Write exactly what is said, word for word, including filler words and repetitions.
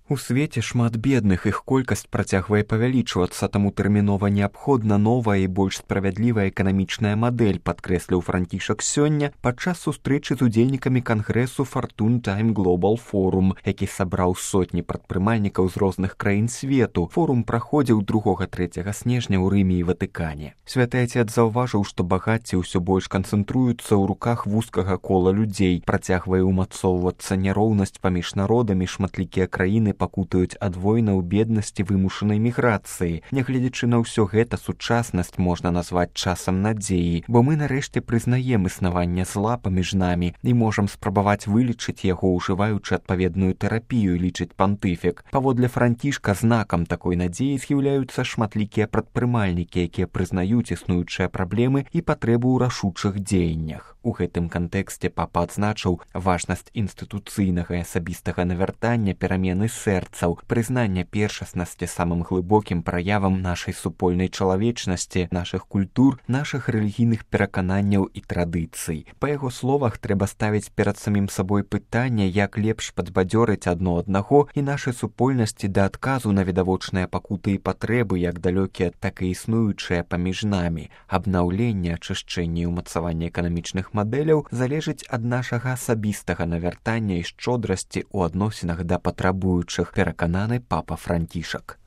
У свеце шмат бедных, іх колькасць працягвае павялічвацца, таму тэрмінова неабходна новая і больш справядлівая эканамічная мадэль, падкрэсліў Францішак сёння падчас сустрэчы з удзельнікамі кангрэсу Fortune Time Global Forum, які сабраў сотні прадпрымальнікаў з розных краін свету. Форум праходзіў другога-трэцяга снежня ў Рыме і Ватыкане. Святы Отец заўважыў, што багацце ўсё больш канцэнтруецца ў руках вузкага кола людзей, працягвае ўмацоўвацца няроўнасць паміж народамі, шматлікія краіны пакутаюць ад войнаў, беднасці, вымушанай міграцыі. Нягледзячы на ўсё гэта, сучаснасць можна назваць часам надзеі, бо мы нарэшце прызнаем існаванне зла паміж намі і можам спрабаваць вылечыць яго, ужываючы адпаведную тэрапію, лічыць пантыфік. Паводле Францішка знакам такой надзеі з'яўляюцца шматлікія прадпрымальнікі, якія прызнаюць існуючыя праблемы і патрэбу ў рашучых дзеяннях. У гэтым кантэксце папа адзначыў важнасць інстытуцыйнага і асабістага навяртання, перамены сэрцаў, прызнання першаснасці самым глыбокім праявам нашай супольнай чалавечнасці, нашых культур, нашых рэлігійных перакананняў і традыцый. Па яго словах, трэба ставіць перад самім сабой пытанне, як лепш падбадзёрыць адно аднаго і нашай супольнасці да адказу на відавочныя пакуты і патрэбы, як далёкія, так і існуючыя паміж намі. Абнаўленне, ачышчэнне і ўмацаванне эканамічных мадэляў залежыць ад нашага асабістага навяртання і шчодрасці ў адносінах да патрабуючых, перакананы папа Францішак.